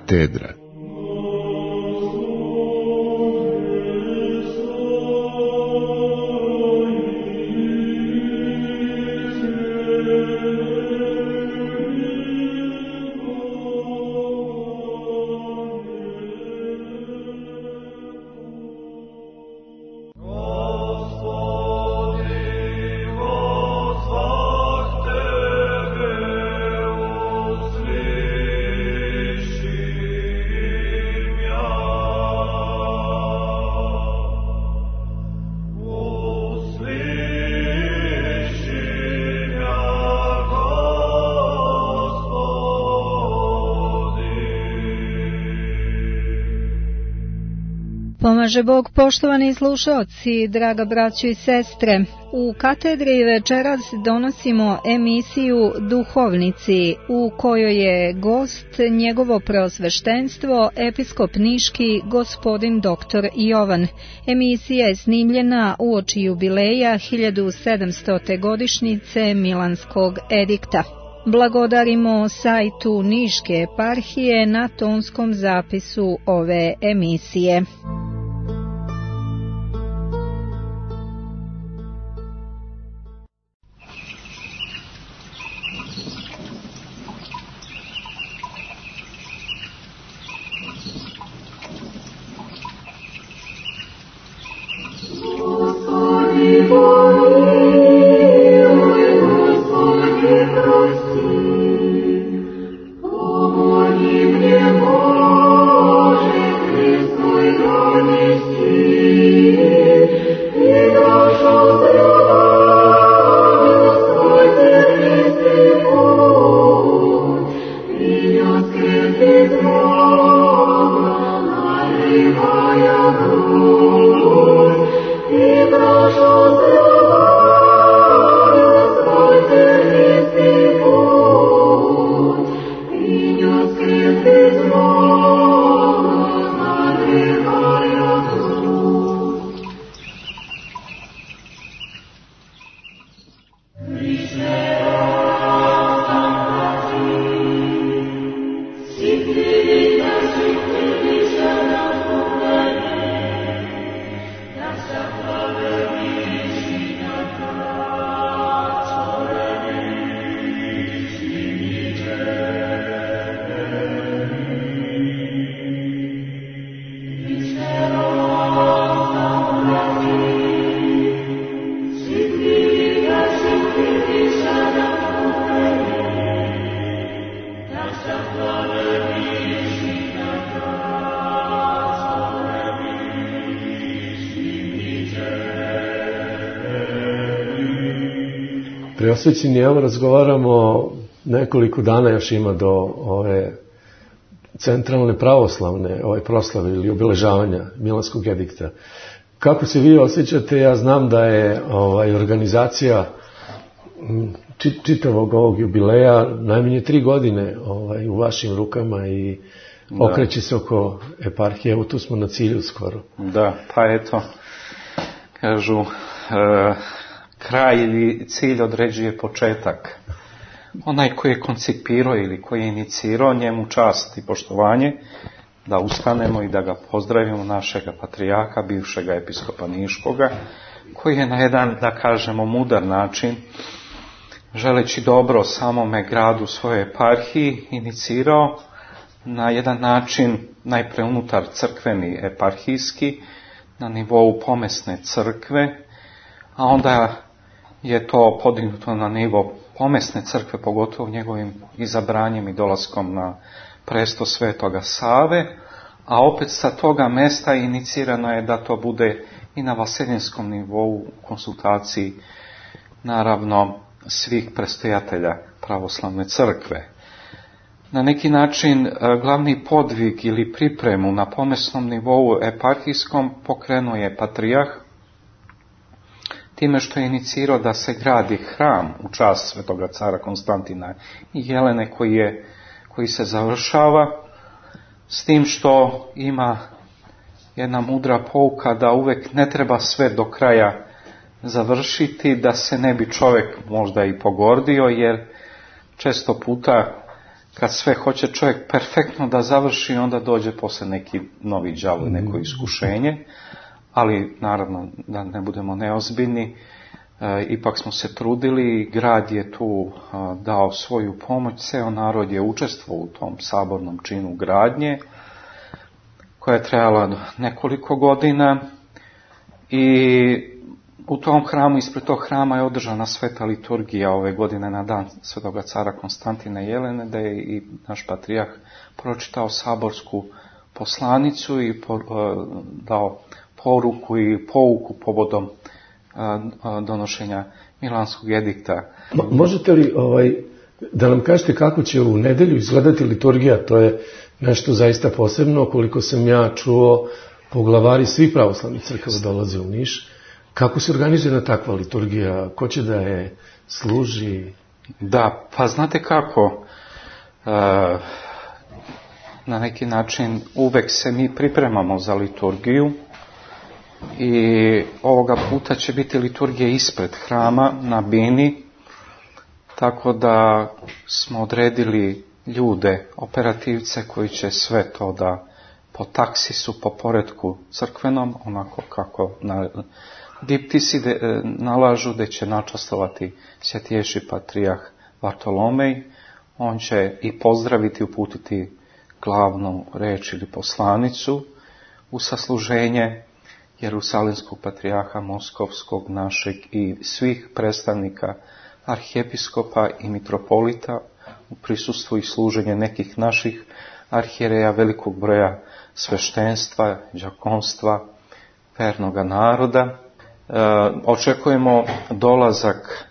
Katedra. Pomaže Bog, poštovani slušaoci, draga braćo i sestre. U katedri večeras donosimo emisiju Duhovnici, u kojoj je gost njegovo preosveštenstvo, episkop niški gospodin dr. Jovan. Emisija je snimljena uoči jubileja 1700. godišnjice Milanskog edikta. Blagodarimo sajtu Niške eparhije na tonskom zapisu ove emisije. Preosvećeni, evo razgovaramo, nekoliko dana još ima do ove centralne pravoslavne proslave ili obeležavanja Milanskog edikta. Kako se vi osjećate? Ja znam da je organizacija čitavog ovog jubileja najmanje 3 godine u vašim rukama i okreće se oko eparhije. Evo tu smo na cilju skoro. Da, pa eto, kažu... kraj ili cilj određuje početak. Onaj koji je koncipirao ili koji je inicirao, njemu čast i poštovanje, da ustanemo i da ga pozdravimo, našega patrijaka, bivšega episkopa niškoga, koji je na jedan, da kažemo, mudar način, želeći dobro samome gradu, svojoj eparhiji, inicirao na jedan način, najpre unutar crkveni eparhijski, na nivou pomesne crkve, a onda je to podignuto na nivo pomesne crkve, pogotovo njegovim izabranjem i dolaskom na presto Svetoga Save, a opet sa toga mesta inicirano je da to bude i na vaseljenskom nivou u konsultaciji, naravno, svih prestojatelja pravoslavne crkve. Na neki način glavni podvig ili pripremu na pomesnom nivou eparhijskom pokrenuo je patrijah, time što je inicirao da se gradi hram u čast svetoga cara Konstantina i Jelene koji se završava, s tim što ima jedna mudra pouka da uvek ne treba sve do kraja završiti, da se ne bi čovjek možda i pogordio, jer često puta kad sve hoće čovjek perfektno da završi, onda dođe posle neki novi đavo, neko iskušenje, ali naravno da ne budemo neozbiljni, ipak smo se trudili, grad je tu dao svoju pomoć, ceo narod je učestvovao u tom sabornom činu gradnje, koja je trajala nekoliko godina i u tom hramu, ispred tog hrama je održana sveta liturgija ove godine na dan svetoga cara Konstantina Jelene, da je i naš patrijarh pročitao saborsku poslanicu i dao poruku i pouku povodom donošenja Milanskog edikta. Možete li da nam kažete kako će u nedelju izgledati liturgija? To je nešto zaista posebno, koliko sam ja čuo, poglavari svih pravoslavnih crkava dolaze u Niš. Kako se organizuje takva liturgija? Ko će da je služi? Da, pa znate kako, na neki način uvek se mi pripremamo za liturgiju i ovoga puta će biti liturgija ispred hrama na bini, tako da smo odredili ljude, operativce koji će sve to da po taksisu, po poretku crkvenom, onako kako diptisi nalažu, da će načastovati svjetješi patrijarh Vartolomej. On će i pozdraviti, uputiti glavnu reč ili poslanicu u sasluženje Jerusalimskog patrijarha Moskovskog našeg i svih predstavnika arhijepiskopa i mitropolita u prisustvu i služenje nekih naših arhijereja, velikog broja sveštenstva, đakonstva, vernoga naroda. Očekujemo dolazak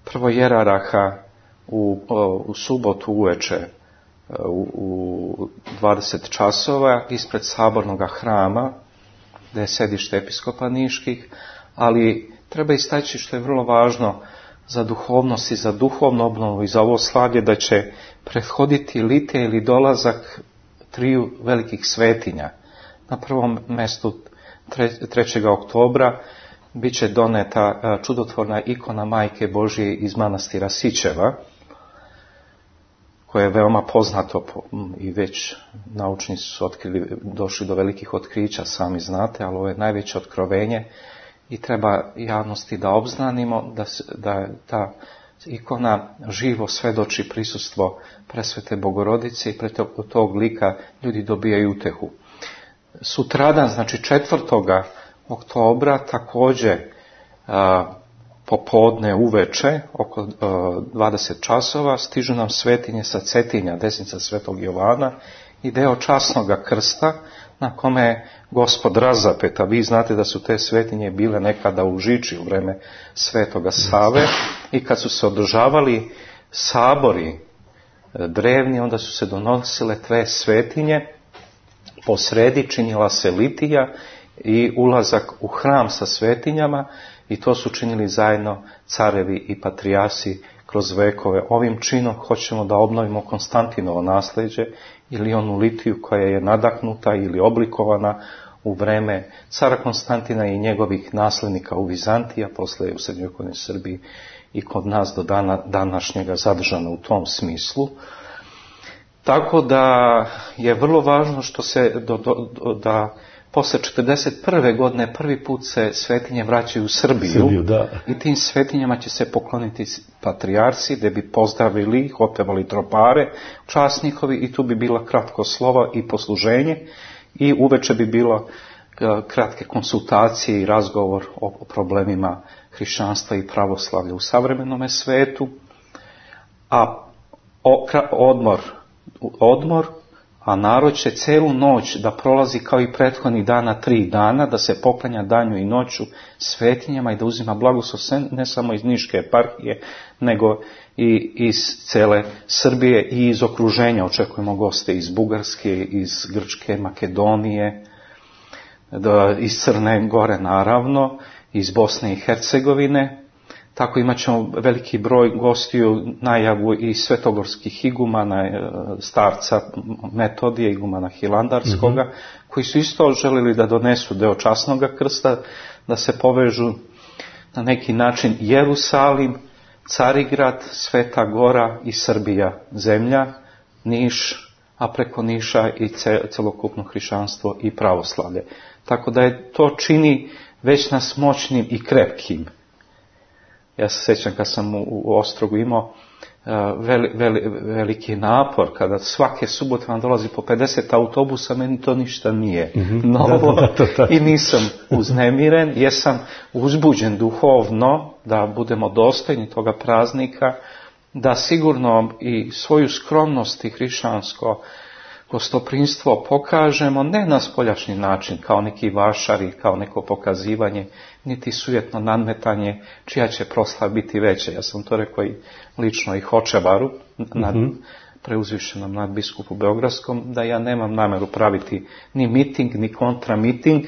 prvojeraraha u subotu uveče u 20 časova ispred sabornog hrama, gdje je sedište episkopa niških, ali treba istaći što je vrlo važno za duhovnost i za duhovnu obnovu i za ovo slavlje, da će prethoditi litija ili dolazak 3 velikih svetinja. Na prvom mjestu 3. oktobra bit će doneta čudotvorna ikona Majke Božije iz manastira Sićeva, koje je veoma poznato i već naučnici su došli do velikih otkrića, sami znate, ali ovo je najveće otkrovenje i treba javnosti da obznanimo da ta ikona živo svedoči prisustvo presvete Bogorodice i preko tog lika ljudi dobijaju utehu. Sutradan, znači 4. oktobra, također popodne uveče, oko 20 časova, stižu nam svetinje sa Cetinja, desnica svetog Jovana i deo časnog krsta na kome je Gospod razapet, a vi znate da su te svetinje bile nekada u Žiči u vreme svetoga Save i kad su se održavali sabori drevni, onda su se donosile 2 svetinje, po sredi činila se litija i ulazak u hram sa svetinjama i to su činili zajedno carevi i patrijasi kroz vekove. Ovim činom hoćemo da obnovimo Konstantinovo nasljeđe ili onu litiju koja je nadahnuta ili oblikovana u vreme cara Konstantina i njegovih nasljednika u Vizantiji, a poslije u srednjovekovnoj Srbiji i kod nas do dana današnjega zadržano u tom smislu. Tako da je vrlo važno što se da posle 41. godine prvi put se svetinje vraćaju u Srbiju i tim svetinjama će se pokloniti patrijarsi, da bi pozdravili ih, otpevali tropare, čast njihovi i tu bi bila kratko slovo i posluženje i uveče bi bilo kratke konsultacije i razgovor o problemima hrišćanstva i pravoslavlja u savremenome svetu, a odmor, a narod će celu noć da prolazi kao i prethodnih dana 3 dana, da se poklanja danju i noću svetinjama i da uzima blagoslov ne samo iz Niške eparhije, nego i iz cele Srbije i iz okruženja. Očekujemo goste iz Bugarske, iz Grčke, Makedonije, iz Crne Gore naravno, iz Bosne i Hercegovine. Tako imat ćemo veliki broj gostiju, najavu i svetogorskih igumana, starca Metodija, igumana Hilandarskoga, koji su isto želili da donesu deo časnog krsta, da se povežu na neki način Jerusalim, Carigrad, Sveta Gora i Srbija, zemlja, Niš, a preko Niša i celokupno hrišćanstvo i pravoslavlje. Tako da to čini već nas moćnim i krepkim. Ja se sjećam kad sam u Ostrogu imao veliki napor, kada svake subote vam dolazi po 50 autobusa, meni to ništa nije novo i nisam uznemiren, jesam uzbuđen duhovno da budemo dostojni toga praznika, da sigurno i svoju skromnost i hrišćansko gostoprimstvo pokažemo ne na spoljašnji način, kao neki vašari, kao neko pokazivanje, niti sujetno nadmetanje čija će proslava biti veća. Ja sam to rekao i lično i Hočevaru, preuzvišenom nadbiskupu Beogradskom, da ja nemam nameru praviti ni miting, ni kontramiting,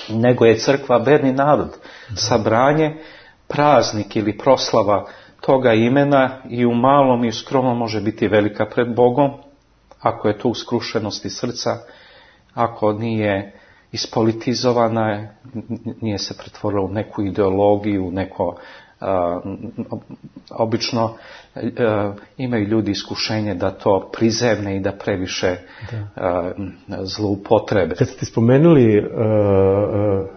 nego je crkva verni narod, sabranje, praznik ili proslava toga imena i u malom i u skromnom može biti velika pred Bogom, ako je to u skrušenosti srca, ako nije ispolitizovana, nije se pretvorila u neku ideologiju, neko obično imaju ljudi iskušenje da to prizemne i da previše zloupotrebe. Kad ste spomenuli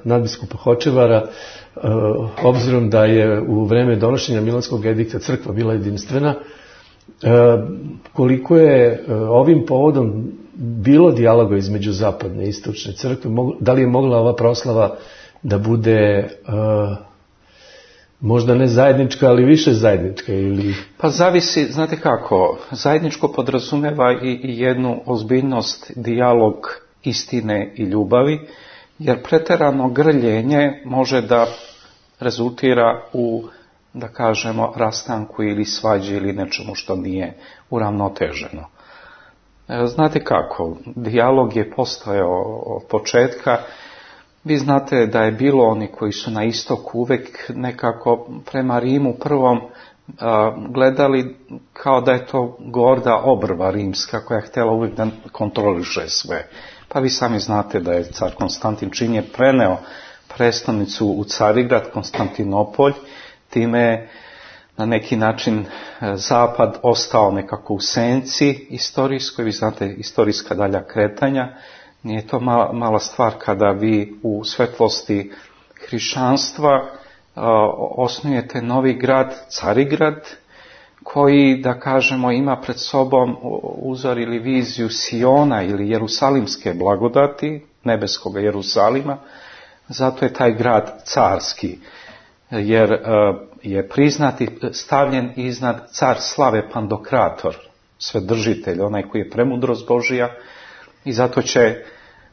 nadbiskupa Hočevara, obzirom da je u vreme donošenja Milanskog edikta crkva bila jedinstvena, koliko je ovim povodom bilo dijaloga između zapadne i istočne crkve, da li je mogla ova proslava da bude možda ne zajednička, ali više zajednička ili... Pa zavisi, znate kako, zajedničko podrazumeva i jednu ozbiljnost, dijalog istine i ljubavi, jer pretjerano grljenje može da rezultira u, da kažemo, rastanku ili svađi ili nečemu što nije uravnoteženo. Znate kako, dijalog je postojao od početka. Vi znate da je bilo oni koji su na istoku uvek nekako prema Rimu prvom gledali kao da je to gorda obrva rimska koja je htjela uvijek da kontroliše sve. Pa vi sami znate da je car Konstantin čim je preneo prestolnicu u Carigrad, Konstantinopolj, time je na neki način zapad ostao nekako u senci istorijskoj. Vi znate istorijska dalja kretanja. Nije to mala stvar kada vi u svetlosti hrišćanstva osnujete novi grad, Carigrad, koji, da kažemo, ima pred sobom uzor ili viziju Siona ili Jerusalimske blagodati, nebeskog Jerusalima. Zato je taj grad carski, jer je priznat i stavljen iznad car slave Pandokrator, svedržitelj, onaj koji je premudrost Božija, i zato će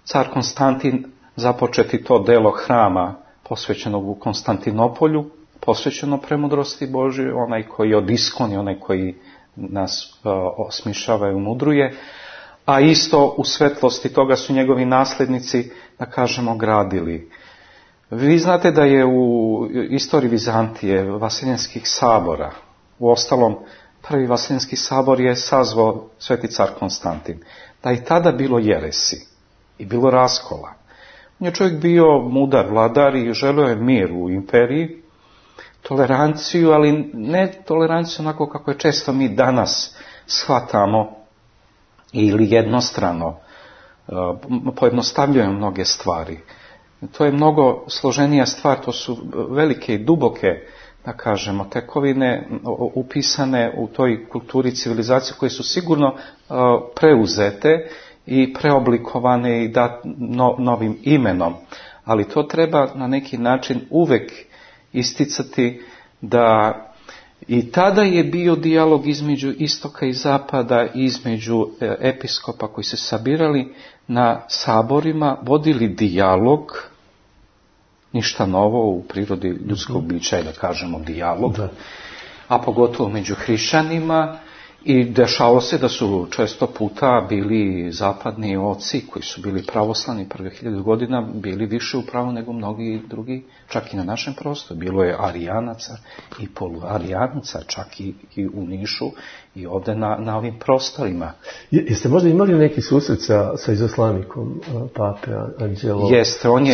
car Konstantin započeti to delo hrama posvećenog u Konstantinopolju, posvećeno premudrosti Božije, onaj koji je od iskoni, onaj koji nas osmišava i umudruje, a isto u svetlosti toga su njegovi nasljednici, da kažemo, gradili. Vi znate da je u istoriji Vizantije, Vaseljenskih sabora, u ostalom prvi Vaseljenski sabor je sazvao sveti car Konstantin, da je tada bilo jeresi i bilo raskola. On je čovjek bio mudar vladar i želio je mir u imperiji, toleranciju, ali ne toleranciju onako kako je često mi danas shvatamo ili jednostrano pojednostavljujemo mnoge stvari. To je mnogo složenija stvar, to su velike i duboke, da kažemo, tekovine upisane u toj kulturi civilizacije koje su sigurno preuzete i preoblikovane i novim imenom. Ali to treba na neki način uvek isticati da i tada je bio dijalog između istoka i zapada, između episkopa koji se sabirali na saborima, vodili dijalog, ništa novo u prirodi ljudskog bića je, da kažemo, dijalog, a pogotovo među hrišćanima, i dešalo se da su često puta bili zapadni oci koji su bili pravoslavni prvih 1000 godina, bili više u pravu nego mnogi drugi, čak i na našem prostoru. Bilo je arijanaca i poluarijanaca, čak i u Nišu i ovdje na ovim prostorima. Jeste možda imali neki susret sa izaslanikom pape Anđelo? Jeste, on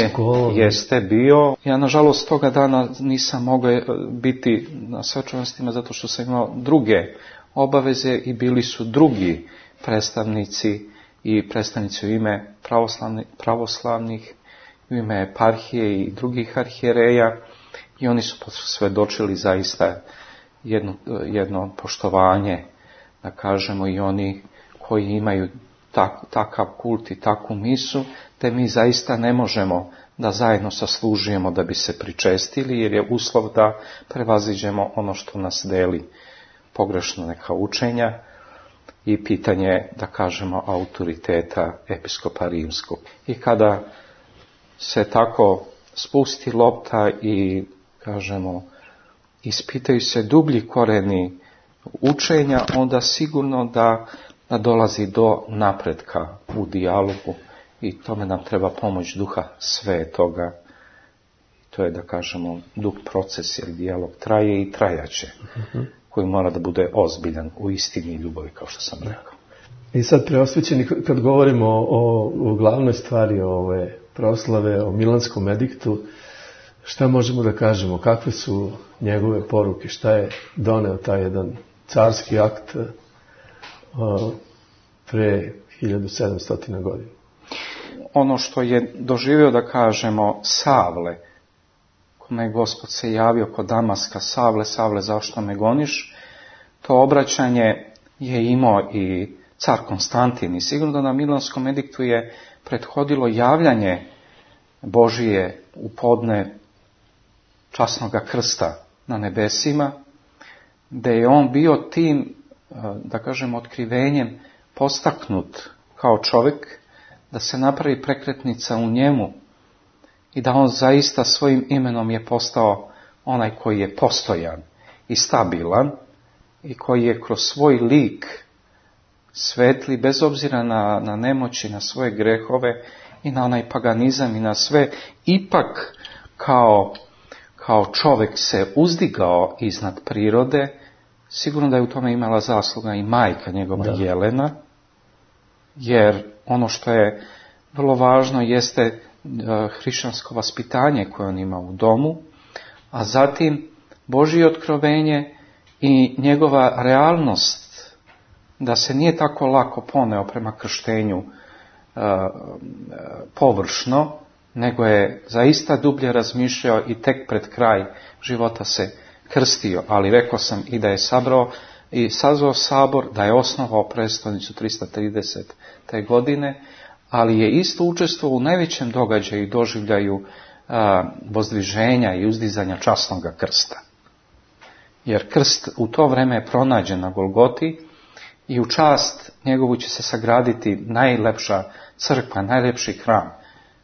jeste bio. Ja, nažalost, toga dana nisam mogao biti na svečanostima zato što sam imao druge obaveze i bili su drugi predstavnici i predstavnici u ime pravoslavnih, u ime eparhije i drugih arhijereja, i oni su posvjedočili zaista jedno poštovanje, da kažemo, i oni koji imaju takav kult i takvu misu, te mi zaista ne možemo da zajedno saslužujemo da bi se pričestili, jer je uslov da prevaziđemo ono što nas deli, pogrešno neka učenja i pitanje, da kažemo, autoriteta episkopa rimskog. I kada se tako spusti lopta i, kažemo, ispitaju se dublji koreni učenja, onda sigurno da dolazi do napretka u dijalogu, i tome nam treba pomoć Duha Svetoga. To je, da kažemo, dug proces, jer dijalog traje i trajaće, koji mora da bude ozbiljan u istini i ljubavi, kao što sam rekao. I sad, preosvećeni, kad govorimo o glavnoj stvari ove proslave, o Milanskom ediktu, šta možemo da kažemo? Kakve su njegove poruke? Šta je doneo taj jedan carski akt pre 1700 godina? Ono što je doživio, da kažemo, Savle, kome je Gospod se javio kod Damaska: Savle, Savle, zašto me goniš? To obraćanje je imao i car Konstantin, i sigurno da na Milanskom ediktu je prethodilo javljanje Božije u podne časnoga krsta na nebesima, gdje je on bio tim, da kažem, otkrivenjem postaknut kao čovjek, da se napravi prekretnica u njemu i da on zaista svojim imenom je postao onaj koji je postojan i stabilan i koji je kroz svoj lik svetli, bez obzira na nemoći, na svoje grehove i na onaj paganizam i na sve, ipak kao čovjek se uzdigao iznad prirode. Sigurno da je u tome imala zasluga i majka njegova, Jelena, jer ono što je vrlo važno jeste hrišćansko vaspitanje koje on ima u domu, a zatim Božje otkrovenje i njegova realnost da se nije tako lako poneo prema krštenju površno, nego je zaista dublje razmišljao i tek pred kraj života se krstio, ali rekao sam i da je sazvao sabor, da je osnovao prestolnicu 330. te godine, ali je isto učestvovao u najvećem događaju i doživljaju vozdviženja i uzdizanja časnoga krsta. Jer krst u to vreme je pronađen na Golgoti i u čast njegovu će se sagraditi najlepša crkva, najlepši hram,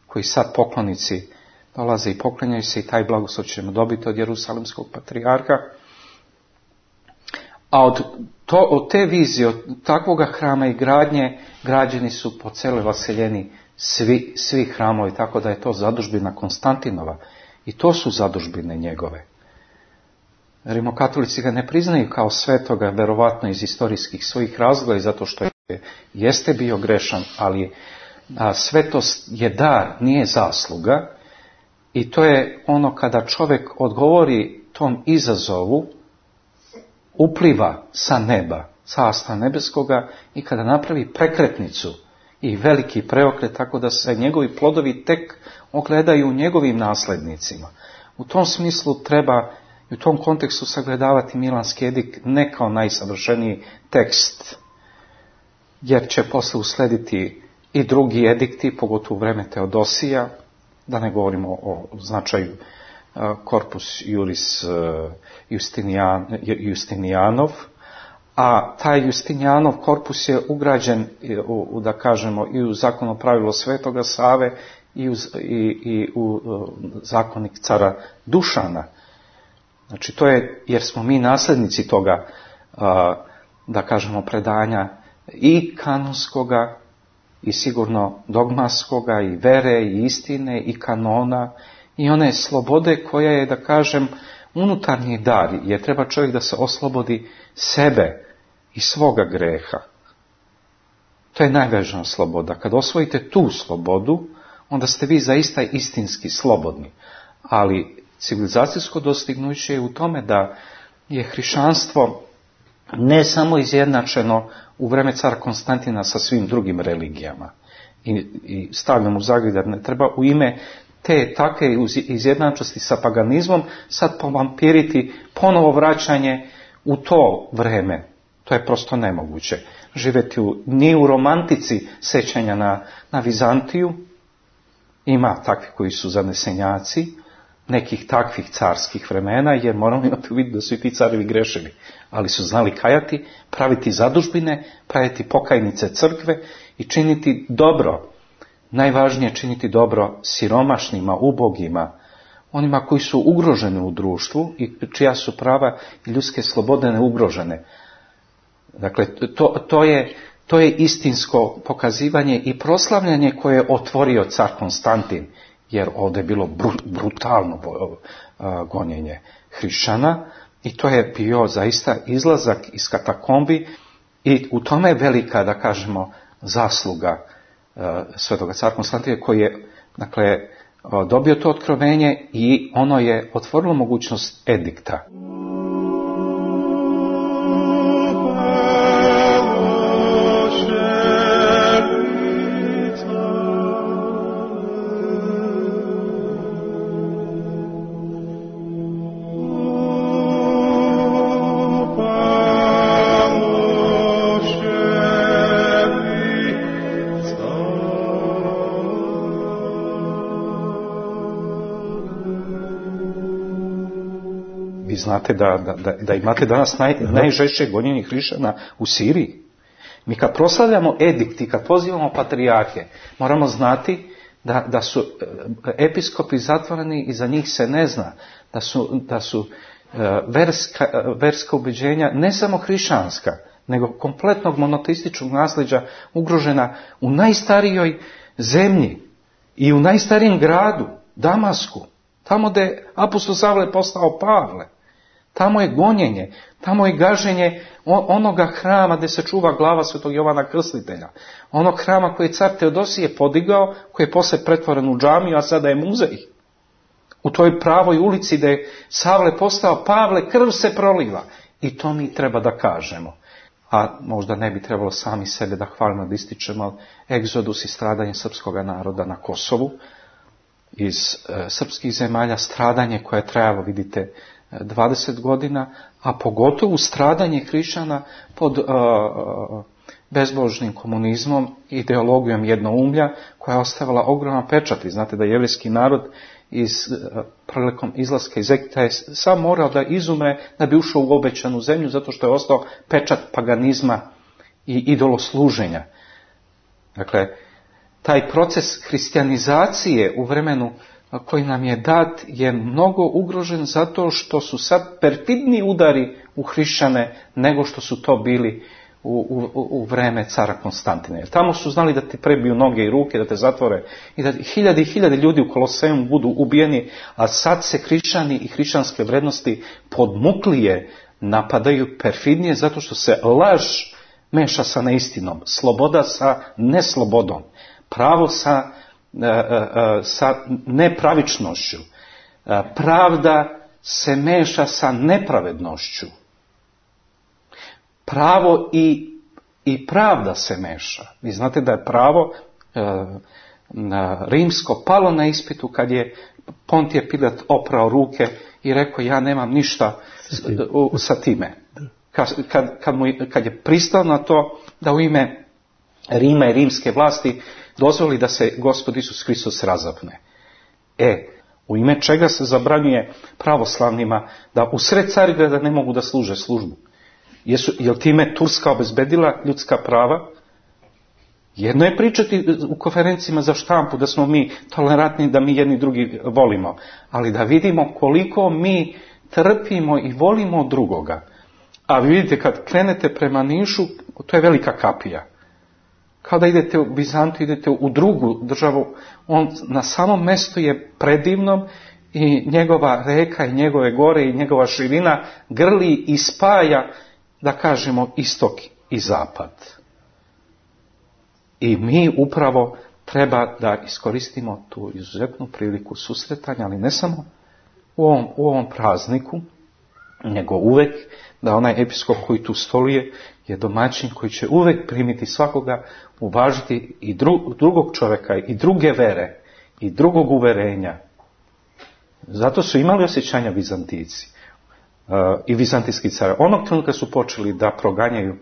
koji sad poklonici dolaze i poklanjaju se, i taj blagoslov ćemo dobiti od Jerusalimskog patrijarha. A od te vizije, od takvoga hrama i gradnje, građeni su po celoj vaseljeni svi hramovi, tako da je to zadužbina Konstantinova. I to su zadužbine njegove. Rimokatolici ga ne priznaju kao svetoga, verovatno iz istorijskih svojih razloga i zato što jeste bio grešan, ali svetost je dar, nije zasluga. I to je ono kada čovjek odgovori tom izazovu, upliva sa neba, carstva nebeskoga, i kada napravi prekretnicu i veliki preokret, tako da se njegovi plodovi tek ogledaju u njegovim naslednicima. U tom smislu treba i u tom kontekstu sagledavati Milanski edikt ne kao najsavršeniji tekst, jer će posle uslediti i drugi edikti, pogotovo u vreme Teodosija, da ne govorimo o značaju Corpus Juris Justinianov, a taj Justinianov korpus je ugrađen, da kažemo, i u zakono pravilo Svetoga Save i u zakonik cara Dušana. Znači to je, jer smo mi nasljednici toga, da kažemo, predanja i kanonskoga i sigurno dogmaskoga i vere i istine i kanona i one slobode koja je, da kažem, unutarnji dar, jer treba čovjek da se oslobodi sebe i svoga greha. To je najvažnija sloboda. Kad osvojite tu slobodu, onda ste vi zaista istinski slobodni. Ali civilizacijsko dostignuće je u tome da je hrišćanstvo ne samo izjednačeno u vreme cara Konstantina sa svim drugim religijama i stavljam u zagrljaj da ne treba u ime te takve izjednačenosti sa paganizmom sad povampiriti ponovo vraćanje u to vreme. To je prosto nemoguće. Živjeti ni u romantici sećanja na Vizantiju, ima takvi koji su zanesenjaci nekih takvih carskih vremena, jer moramo imati u vidu da su i ti carevi grešili, ali su znali kajati, praviti zadužbine, praviti pokajnice crkve i činiti dobro. Najvažnije činiti dobro siromašnima, ubogima, onima koji su ugroženi u društvu i čija su prava i ljudske slobode neugrožene. Dakle, to je istinsko pokazivanje i proslavljanje koje je otvorio car Konstantin, jer ovdje je bilo brutalno gonjenje hrišćana i to je bio zaista izlazak iz katakombi i u tome je velika, da kažemo, zasluga svetoga cara Konstantina koji je, dakle, dobio to otkrovenje i ono je otvorilo mogućnost edikta. Znate da imate danas najžešće gonjenje hrišćana u Siriji. Mi kad proslavljamo edikt i kad pozivamo patrijarhe, moramo znati da su episkopi zatvoreni i za njih se ne zna. Da su verska ubeđenja, ne samo hrišćanska, nego kompletnog monoteističkog nasljeđa ugrožena u najstarijoj zemlji i u najstarijem gradu, Damasku. Tamo gdje je apostol Savle postao Pavle. Tamo je gonjenje, tamo je gaženje onoga hrama gdje se čuva glava svetog Jovana Krstitelja. Onog hrama koji je car Teodosije podigao, koji je poslije pretvoren u džamiju, a sada je muzej. U toj pravoj ulici gdje je Savle postao Pavle, krv se proliva. I to mi treba da kažemo. A možda ne bi trebalo sami sebe da hvalimo, da ističemo egzodus i stradanje srpskog naroda na Kosovu. Iz srpskih zemalja stradanje koje je trajalo, vidite, 20 godina, a pogotovo stradanje hrišćana pod bezbožnim komunizmom, ideologijom jednoumlja koja je ostavila ogroman pečat. Vi znate da jevrijski narod prilikom izlaska iz Egipta je sam morao da izumre da bi ušao u obećanu zemlju, zato što je ostao pečat paganizma i idolosluženja. Dakle, taj proces hrišćanizacije u vremenu koji nam je dat je mnogo ugrožen zato što su sad perfidni udari u hrišćane nego što su to bili u vreme cara Konstantina. Jer tamo su znali da ti prebiju noge i ruke, da te zatvore i da hiljade i hiljade ljudi u Kolosejmu budu ubijeni, a sad se hrišćani i hrišćanske vrednosti podmuklije napadaju, perfidnije, zato što se laž meša sa neistinom, sloboda sa neslobodom, pravo sa nepravičnošću, pravda se meša sa nepravednošću, pravo i pravda se meša. Vi znate da je pravo rimsko palo na ispitu kad je Pontije Pilat oprao ruke i rekao ja nemam ništa sa time. Kad je pristao na to da u ime Rima i rimske vlasti dozvoli da se Gospod Isus Hristos razapne. U ime čega se zabranjuje pravoslavnima da u sred Carigrada ne mogu da služe službu? Jel time Turska obezbedila ljudska prava? Jedno je pričati u konferencijama za štampu da smo mi tolerantni, da mi jedni drugi volimo, ali da vidimo koliko mi trpimo i volimo drugoga. A vi vidite, kad krenete prema Nišu, to je velika kapija. Kao da idete u Bizantiju, idete u drugu državu, on na samom mjestu je predivnom i njegova reka i njegove gore i njegova širina grli i spaja, da kažemo, istok i zapad. I mi upravo treba da iskoristimo tu izuzetnu priliku susretanja, ali ne samo u ovom prazniku, nego uvek da onaj episkop koji tu stoluje je domaćin koji će uvek primiti svakoga, uvažiti i drugog čovjeka i druge vere i drugog uverenja. Zato su imali osjećanja Vizantijci i vizantijski car. Onog trenutka su počeli da proganjaju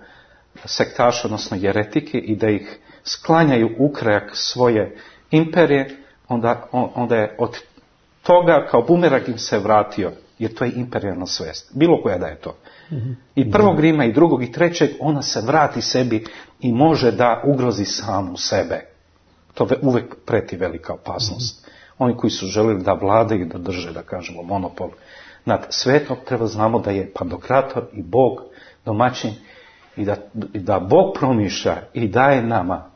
sektaše, odnosno jeretike, i da ih sklanjaju u krajak svoje imperije, onda je od toga kao bumerang im se vratio, jer to je imperijalna svest. Bilo koja da je to. I prvog Rima, i drugog, i trećeg, ona se vrati sebi i može da ugrozi samu sebe. To uvek preti velika opasnost. Oni koji su želeli da vladaju, da drže, da kažemo, monopol nad svetom, treba znamo da je Pantokrator i Bog domaćin i da Bog promišlja i daje nama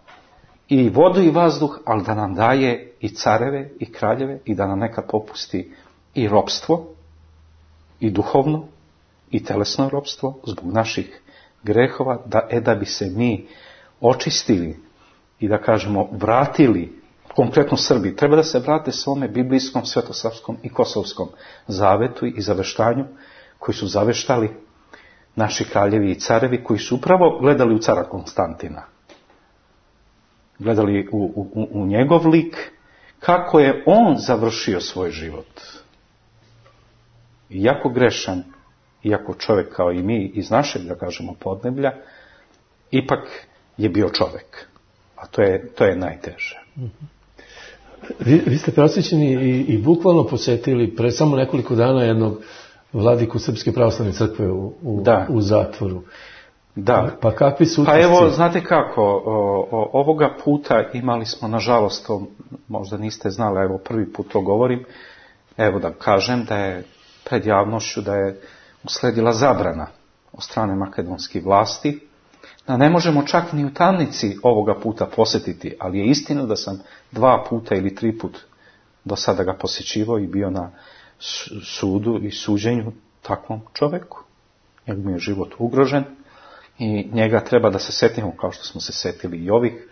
i vodu i vazduh, ali da nam daje i careve i kraljeve i da nam nekad popusti i ropstvo, i duhovno, i telesno ropstvo zbog naših grehova, da bi se mi očistili i da kažemo vratili, konkretno Srbi, treba da se vrate svome biblijskom, svetosavskom i kosovskom zavetu i zaveštanju koji su zaveštali naši kraljevi i carevi, koji su upravo gledali u cara Konstantina. Gledali u njegov lik, kako je on završio svoj život. Iako grešan, iako čovjek kao i mi iz našeg, da kažemo, podneblja, ipak je bio čovjek. A to je najteže. Vi ste prosvećeni i bukvalno posjetili pre samo nekoliko dana jednog vladiku Srpske pravoslavne crkve u zatvoru. Da. Pa kakvi su utisci? Pa evo, znate kako, ovoga puta imali smo, nažalost, to možda niste znali, evo prvi put to govorim, evo da kažem da je pred javnošću da je usledila zabrana od strane makedonskih vlasti, da ne možemo čak ni u tamnici ovoga puta posjetiti, ali je istina da sam 2 puta ili 3 put do sada ga posjećivao i bio na sudu i suđenju takvom čovjeku. Njegov je život ugrožen i njega treba da se setimo kao što smo se setili i ovih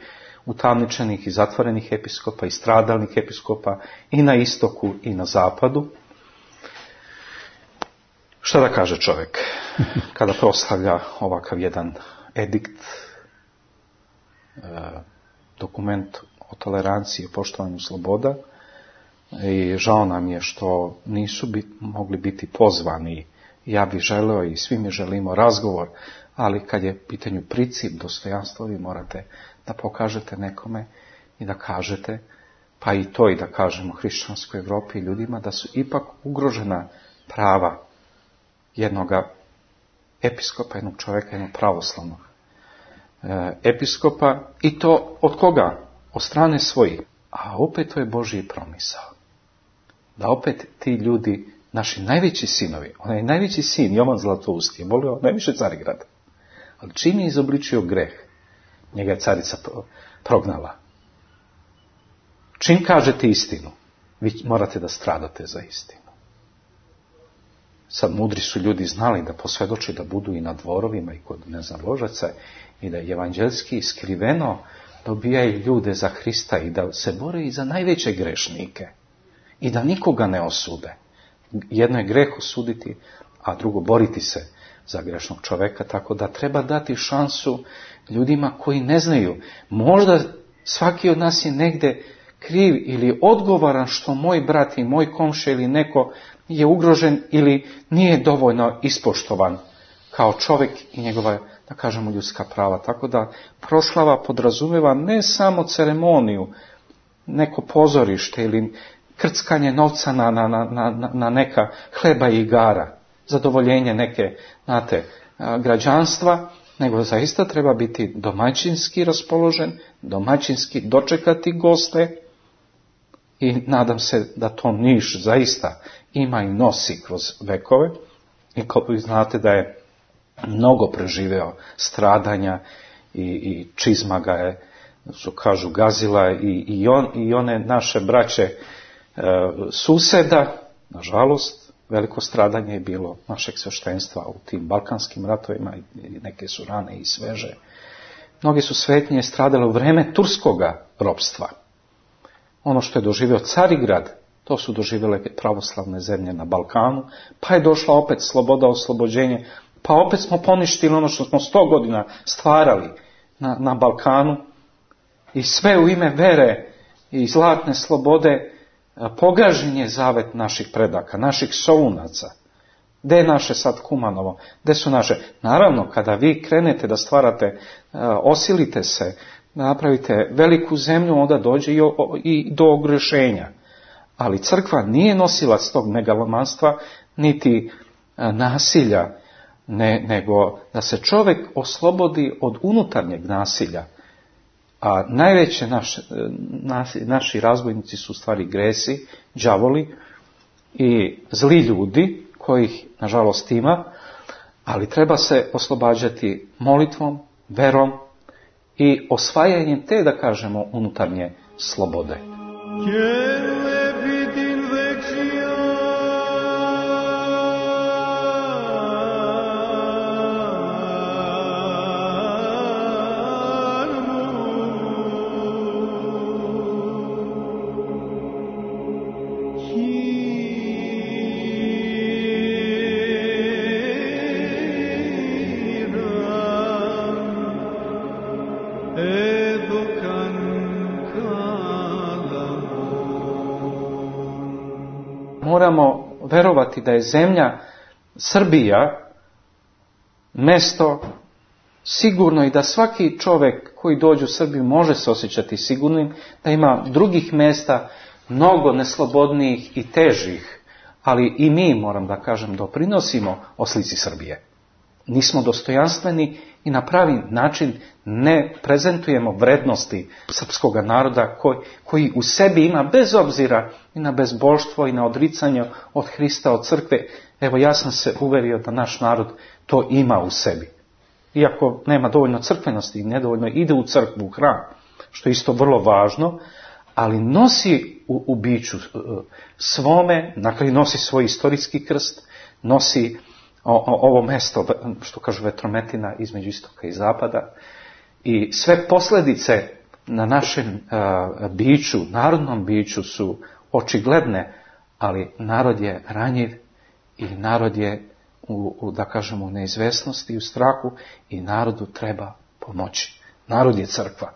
utamničenih i zatvorenih episkopa i stradalnih episkopa i na istoku i na zapadu. Šta da kaže čovjek kada proslavlja ovakav jedan edikt, dokument o toleranciji i poštovanju sloboda, i žao nam je što nisu mogli biti pozvani. Ja bih želeo i svi mi želimo razgovor, ali kad je pitanju princip dostojanstva, vi morate da pokažete nekome i da kažete, pa i to i da kažemo hrišćanskoj Evropi i ljudima, da su ipak ugrožena prava jednoga episkopa, jednog čovjeka, jednog pravoslavnog episkopa, i to od koga? Od strane svojih. A opet to je Božji promisao. Da opet ti ljudi, naši najveći sinovi, onaj najveći sin, Jovan Zlatousti, je volio najviše Carigrada. Ali čim je izobličio greh, njega je carica prognala. Čim kažete istinu, vi morate da stradate za istinu. Sad mudri su ljudi znali da posvjedoče da budu i na dvorovima i kod ložaca i da evanđelski skriveno dobijaju ljude za Hrista i da se bore i za najveće grešnike i da nikoga ne osude. Jedno je greh osuditi, a drugo boriti se za grešnog čoveka, tako da treba dati šansu ljudima koji ne znaju. Možda svaki od nas je negde kriv ili odgovoran što moj brat i moj komšija ili neko je ugrožen ili nije dovoljno ispoštovan kao čovjek i njegova, da kažemo, ljudska prava. Tako da proslava podrazumeva ne samo ceremoniju, neko pozorište ili krckanje novca na neka hleba i igara, zadovoljenje neke, građanstva, nego zaista treba biti domaćinski raspoložen, domaćinski dočekati goste, i nadam se da to Niš zaista ima i nosi kroz vekove, i kao vi znate da je mnogo preživeo stradanja i čizma ga je, što kažu, gazila i one naše braće suseda. Nažalost, veliko stradanje je bilo našeg sveštenstva u tim balkanskim ratovima, i neke su rane i sveže. Mnogi su svetnije stradale u vreme turskoga ropstva. Ono što je doživio Carigrad To su doživjele pravoslavne zemlje na Balkanu, pa je došla opet sloboda, oslobođenje, pa opet smo poništili ono što smo 100 godina stvarali na Balkanu i sve u ime vere i zlatne slobode pogažen je zavet naših predaka, naših sounaca. Gde je naše sad Kumanovo? Gde su naše? Naravno, kada vi krenete da stvarate, osilite se, napravite veliku zemlju, onda dođe i do ogrešenja. Ali crkva nije nosilac tog megalomanstva, niti nasilja, nego da se čovjek oslobodi od unutarnjeg nasilja. A najveće naši razbojnici su u stvari gresi, đavoli i zli ljudi, kojih nažalost ima, ali treba se oslobađati molitvom, verom i osvajanjem te, da kažemo, unutarnje slobode. Moramo verovati da je zemlja Srbija mesto sigurno i da svaki čovjek koji dođe u Srbiju može se osjećati sigurnim, da ima drugih mjesta mnogo neslobodnijih i težih, ali i mi, moram da kažem, doprinosimo o slici Srbije. Nismo dostojanstveni i na pravi način ne prezentujemo vrednosti srpskog naroda koji u sebi ima, bez obzira i na bezbožstvo i na odricanje od Hrista, od crkve. Evo, ja sam se uverio da naš narod to ima u sebi. Iako nema dovoljno crkvenosti i nedovoljno ide u crkvu, u hram, što je isto vrlo važno, ali nosi u biću svome, na kraju nosi svoj istorijski krst, nosi ovo mesto, što kažu vetrometina između istoka i zapada, i sve posljedice na našem biću, narodnom biću su očigledne, ali narod je ranjiv i narod je da kažemo, u neizvesnosti i u strahu i narodu treba pomoći. Narod je crkva.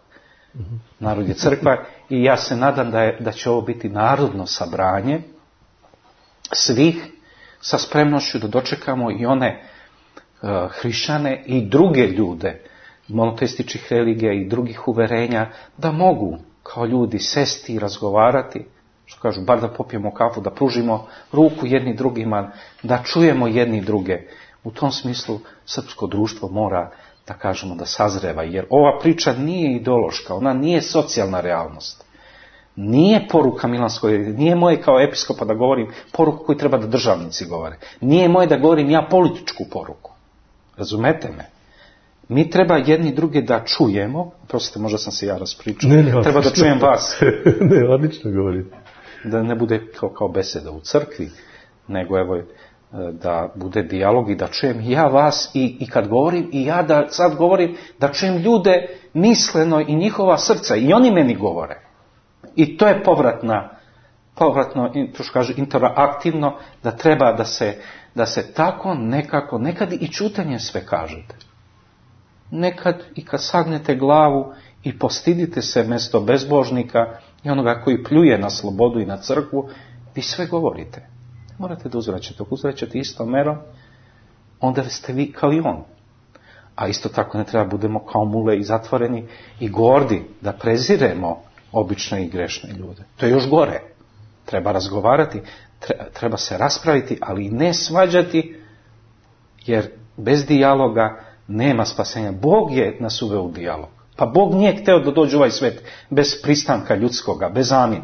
Narod je crkva i ja se nadam da će ovo biti narodno sabranje svih, sa spremnošću da dočekamo i one hrišćane i druge ljude monoteističkih religija i drugih uverenja, da mogu kao ljudi sesti i razgovarati, što kažu, bar da popijemo kafu, da pružimo ruku jedni drugima, da čujemo jedni druge. U tom smislu srpsko društvo mora, da kažemo, da sazreva, jer ova priča nije ideološka, ona nije socijalna realnost. Nije poruka Milanskoj, nije moje kao episkopa da govorim poruku koju treba da državnici govore. Nije moje da govorim ja političku poruku. Razumete me? Mi treba jedni druge da čujemo, prostite, možda sam se ja raspričao, treba da čujem vas. Ne, odlično govorite. Da ne bude kao beseda u crkvi, nego evo da bude dijalog i da čujem ja vas i kad govorim i ja da sad govorim, da čujem ljude misleno i njihova srca i oni meni govore. I to je povratno, to što kaže, interaktivno, da treba da se tako nekako, nekad i čutanjem sve kažete. Nekad i kad sagnete glavu i postidite se mjesto bezbožnika i onoga koji pljuje na slobodu i na crkvu, vi sve govorite. Morate da uzvraćate. Ako uzvraćate istom merom, onda ste vi kao i on. A isto tako ne treba budemo kao mule i zatvoreni i gordi, da preziremo obične i grešne ljude. To je još gore. Treba razgovarati, treba se raspraviti, ali i ne svađati, jer bez dijaloga nema spasenja. Bog je nas uveo u dijalog. Pa Bog nije hteo da dođe u ovaj svet bez pristanka ljudskoga, bez amin.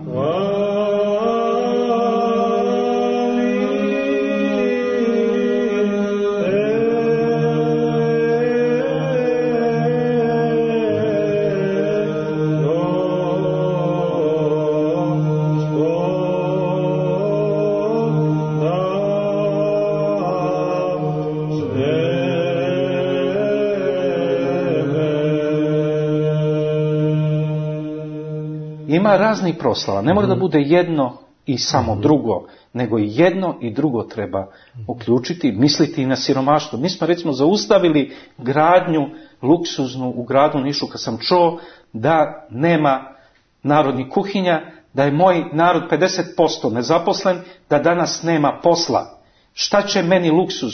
Ima raznih proslava, ne mora da bude jedno i samo drugo, nego i jedno i drugo treba uključiti, misliti i na siromaštvo. Mi smo recimo zaustavili gradnju luksuznu u gradu Nišu kad sam čuo da nema narodnih kuhinja, da je moj narod 50% nezaposlen, da danas nema posla. Šta će meni luksuz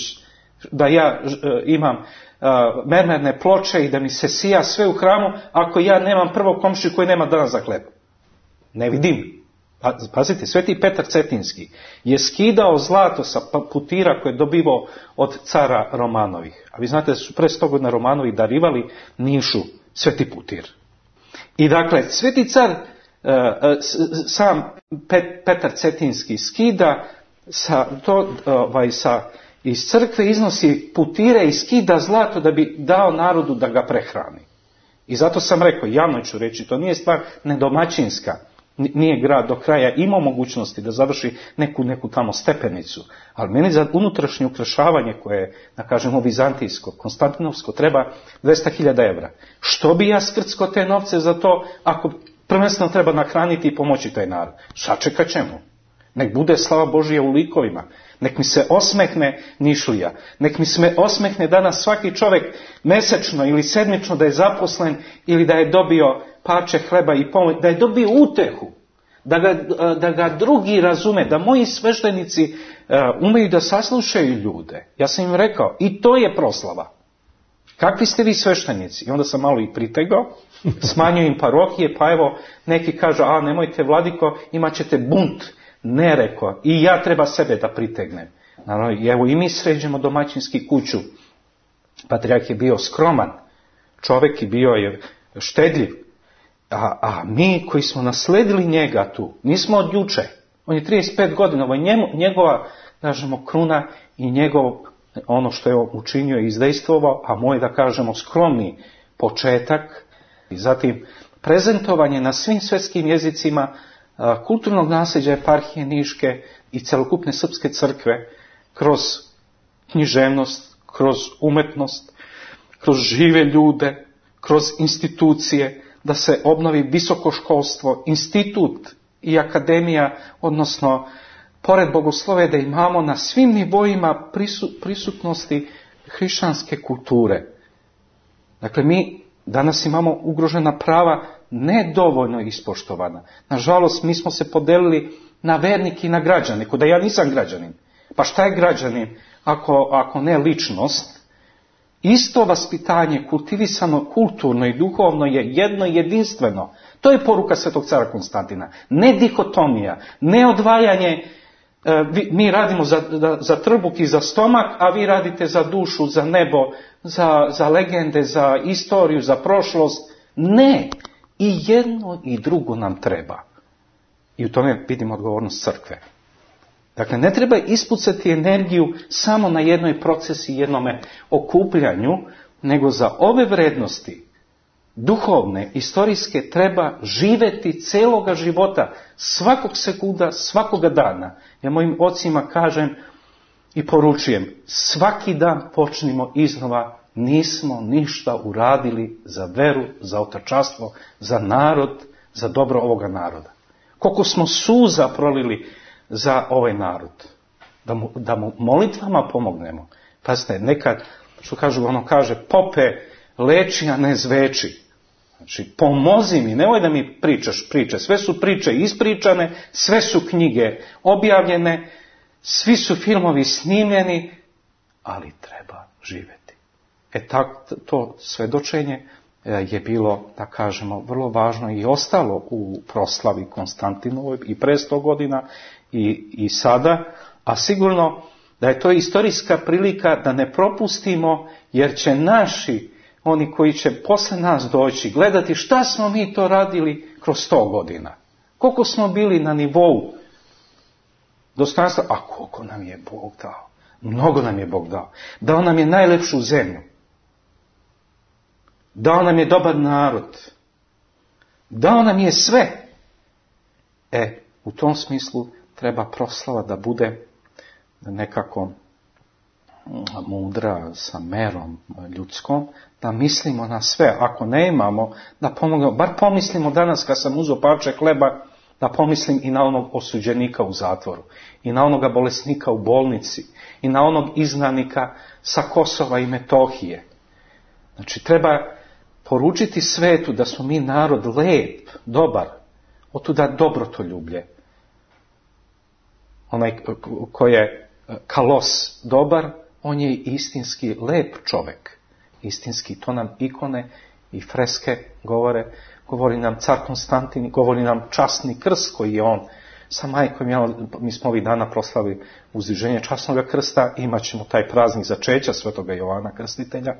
da ja imam mermerne ploče i da mi se sija sve u hramu ako ja nemam prvo komšiju koji nema danas za hleb? Ne vidim. Pazite, Sveti Petar Cetinski je skidao zlato sa putira koje je dobivao od cara Romanovih. A vi znate da su pre 100 godina Romanovi darivali Nišu sveti putir. I dakle, sveti car, sam Petar Cetinski skida iz crkve, iznosi putire i skida zlato da bi dao narodu da ga prehrani. I zato sam rekao, javno ću reći, to nije stvar nedomaćinska. Nije grad do kraja imao mogućnosti da završi neku tamo stepenicu, ali meni za unutrašnje ukrašavanje koje je, da kažemo, vizantijsko, konstantinovsko, treba 200.000 evra. Što bi ja skrcko te novce za to ako prvenstveno treba nahraniti i pomoći taj narod? Sačekat ćemo. Nek bude slava Božija u likovima. Nek mi se osmehne Nišlija. Nek mi se osmehne danas svaki čovjek mesečno ili sedmično da je zaposlen ili da je dobio parče hleba i pomoć, da je dobio utehu, da ga drugi razume, da moji sveštenici umeju da saslušaju ljude. Ja sam im rekao, i to je proslava. Kakvi ste vi sveštenici? I onda sam malo i pritegao, smanjio im parohije, pa evo neki kažu, nemojte vladiko, imat ćete bunt. Ne, rekao, i ja treba sebe da pritegnem. Naravno, evo i mi sređemo domaćinski kuću. Patrijarh je bio skroman čovjek i bio je štedljiv. A mi koji smo nasledili njega tu, nismo od juče. On je 35 godina, ovo je njegova, kažemo, kruna i ono što je učinio i izdejstvovao, a moj, da kažemo, skromni početak. I zatim, prezentovanje na svim svjetskim jezicima kulturnog nasljeđa eparhije Niške i celokupne srpske crkve kroz književnost, kroz umetnost, kroz žive ljude, kroz institucije, da se obnovi visoko školstvo, institut i akademija, odnosno pored bogoslove da imamo na svim nivoima prisutnosti hrišćanske kulture. Dakle, mi danas imamo ugrožena prava nedovoljno ispoštovana. Nažalost, mi smo se podelili na vernike i na građane, da ja nisam građanin. Pa šta je građanin ako ne ličnost? Isto vaspitanje, kultivisano, kulturno i duhovno je jedno jedinstveno. To je poruka svetog cara Konstantina. Ne dihotomija, ne odvajanje, mi radimo za trbuh i za stomak, a vi radite za dušu, za nebo, za legende, za istoriju, za prošlost. Ne, i jedno i drugo nam treba. I u tome vidimo odgovornost crkve. Dakle, ne treba ispucati energiju samo na jednoj procesi, jednome okupljanju, nego za ove vrednosti, duhovne, istorijske, treba živeti celoga života, svakog sekunda, svakoga dana. Ja mojim ocima kažem i poručujem, svaki dan počnimo iznova, nismo ništa uradili za veru, za otačanstvo, za narod, za dobro ovoga naroda. Koliko smo suza prolili za ovaj narod, da mu molitvama pomognemo. Pazite, nekad, što kažu, kaže, pope, leči, a ne zveči. Znači, pomozi mi, nemoj da mi pričaš priče, sve su priče ispričane, sve su knjige objavljene, svi su filmovi snimljeni, ali treba živjeti. To svedočenje je bilo, da kažemo, vrlo važno i ostalo u proslavi Konstantinovoj i pre 100 godina i sada, a sigurno da je to istorijska prilika da ne propustimo, jer će naši, oni koji će posle nas doći, gledati šta smo mi to radili kroz 100 godina. Koliko smo bili na nivou dostojanstva, a koliko nam je Bog dao. Mnogo nam je Bog dao. Dao nam je najlepšu zemlju. Dao nam je dobar narod. Dao nam je sve. U tom smislu treba proslava da bude nekako mudra, sa merom ljudskom, da mislimo na sve. Ako ne imamo, da pomognemo. Bar pomislimo danas kad sam uzeo parče hleba, Da pomislim i na onog osuđenika u zatvoru, i na onoga bolesnika u bolnici, i na onog izgnanika sa Kosova i Metohije. Znači, treba poručiti svetu da smo mi narod lep, dobar, otuda dobrotoljublje. Onaj ko je kalos dobar, on je istinski lep čovek. Istinski, to nam ikone i freske govore. Govori nam car Konstantin, govori nam časni krst koji je on sa majkom. Mi smo ovih dana proslavili uzdiženje časnog krsta, imat ćemo taj praznik začeća svetoga Jovana Krstitelja.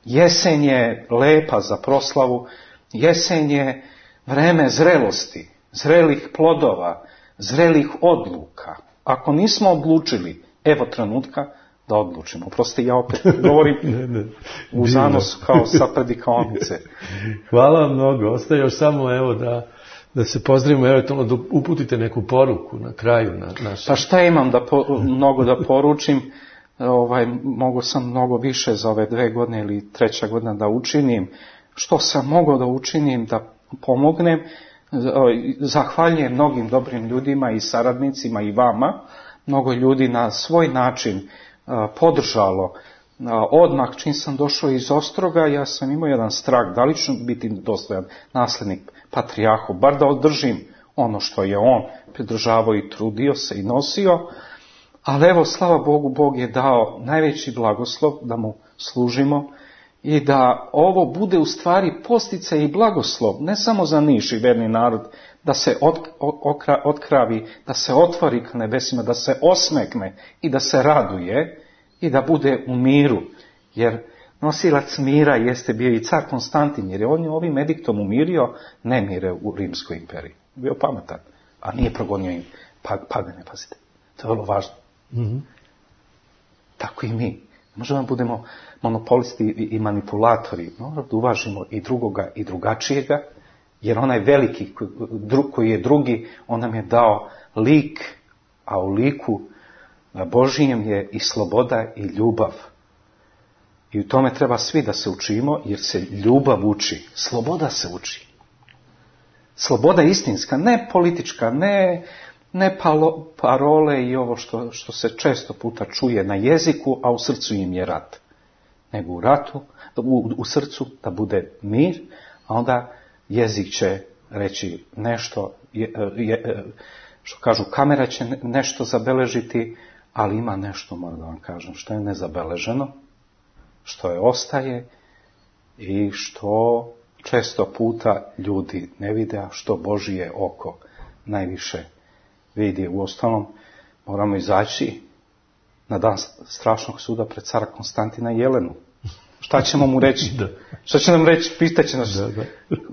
Jesen je lepa za proslavu, jesen je vreme zrelosti, zrelih plodova, zrelih odluka. Ako nismo odlučili, evo trenutka da odlučimo. Proste, ja opet govorim u zanosu kao sa predikaonice. Hvala vam mnogo. Ostaje još samo evo da se pozdravimo, eventualno da uputite neku poruku na kraju naše. Pa šta imam mnogo da poručim? Mogao sam mnogo više za ove 2 godine ili 3. godina da učinim. Što sam mogao da učinim, da pomognem? Zahvaljujem mnogim dobrim ljudima i saradnicima i vama. Mnogo ljudi na svoj način podržalo. Odmah čim sam došao iz Ostroga, ja sam imao jedan strah, da li ću biti dostojan naslednik patrijarhu, bar da održim ono što je on pridržavao i trudio se i nosio. Ali evo, slava Bogu, Bog je dao najveći blagoslov da mu služimo i da ovo bude u stvari posticaj i blagoslov, ne samo za Niš i verni narod, da se otkravi, da se otvori k nebesima, da se osmekne i da se raduje i da bude u miru. Jer nosilac mira jeste bio i car Konstantin, jer je on ovim ediktom umirio nemire u Rimskoj imperiji. Bio pametan, a nije progonio im pagane, pazite. To je vrlo važno. Mm-hmm. Tako i mi. Možemo da budemo monopolisti i manipulatori. Moramo da uvažimo i drugoga i drugačijega, jer onaj veliki koji je drugi, on nam je dao lik, a u liku Božijem je i sloboda i ljubav. I u tome treba svi da se učimo, jer se ljubav uči, sloboda se uči. Sloboda istinska, ne politička, ne parole i ovo što se često puta čuje na jeziku, a u srcu im je rat. Nego u ratu, u srcu da bude mir, a onda jezik će reći nešto, što kažu, kamera će nešto zabeležiti, ali ima nešto, moram da vam kažem, što je nezabeleženo, što je ostaje i što često puta ljudi ne vide, a što Božije oko najviše vidi. Uostalom, moramo izaći na dan strašnog suda pred cara Konstantina i Jelenu. Šta ćemo mu reći? Šta će nam reći? Pitaće nas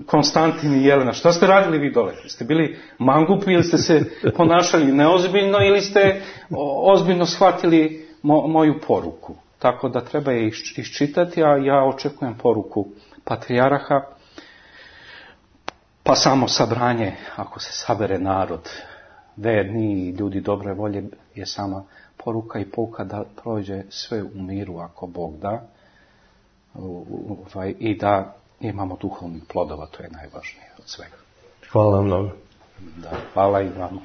Konstantin i Jelena. Šta ste radili vi dole? Ste bili mangupi ili ste se ponašali neozbiljno ili ste ozbiljno shvatili moju poruku? Tako da treba je iščitati, a ja očekujem poruku patrijarha, pa samo sabranje, ako se sabere narod, verni i ljudi dobre volje, je sama poruka i pouka da prođe sve u miru ako Bog da, i da imamo duhovnih plodova, to je najvažnije od svega. Hvala vam mnogo. Da, hvala i vama.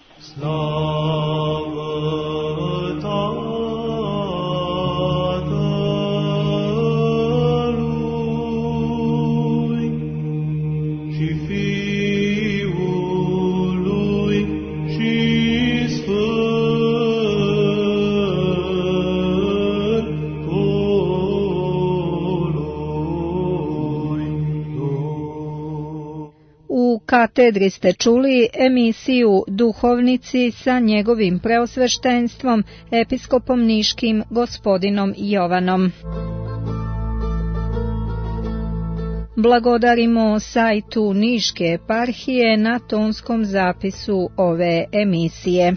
U katedri ste čuli emisiju Duhovnici sa njegovim preosveštenstvom, episkopom niškim gospodinom Jovanom. Blagodarimo sajtu Niške eparhije na tonskom zapisu ove emisije.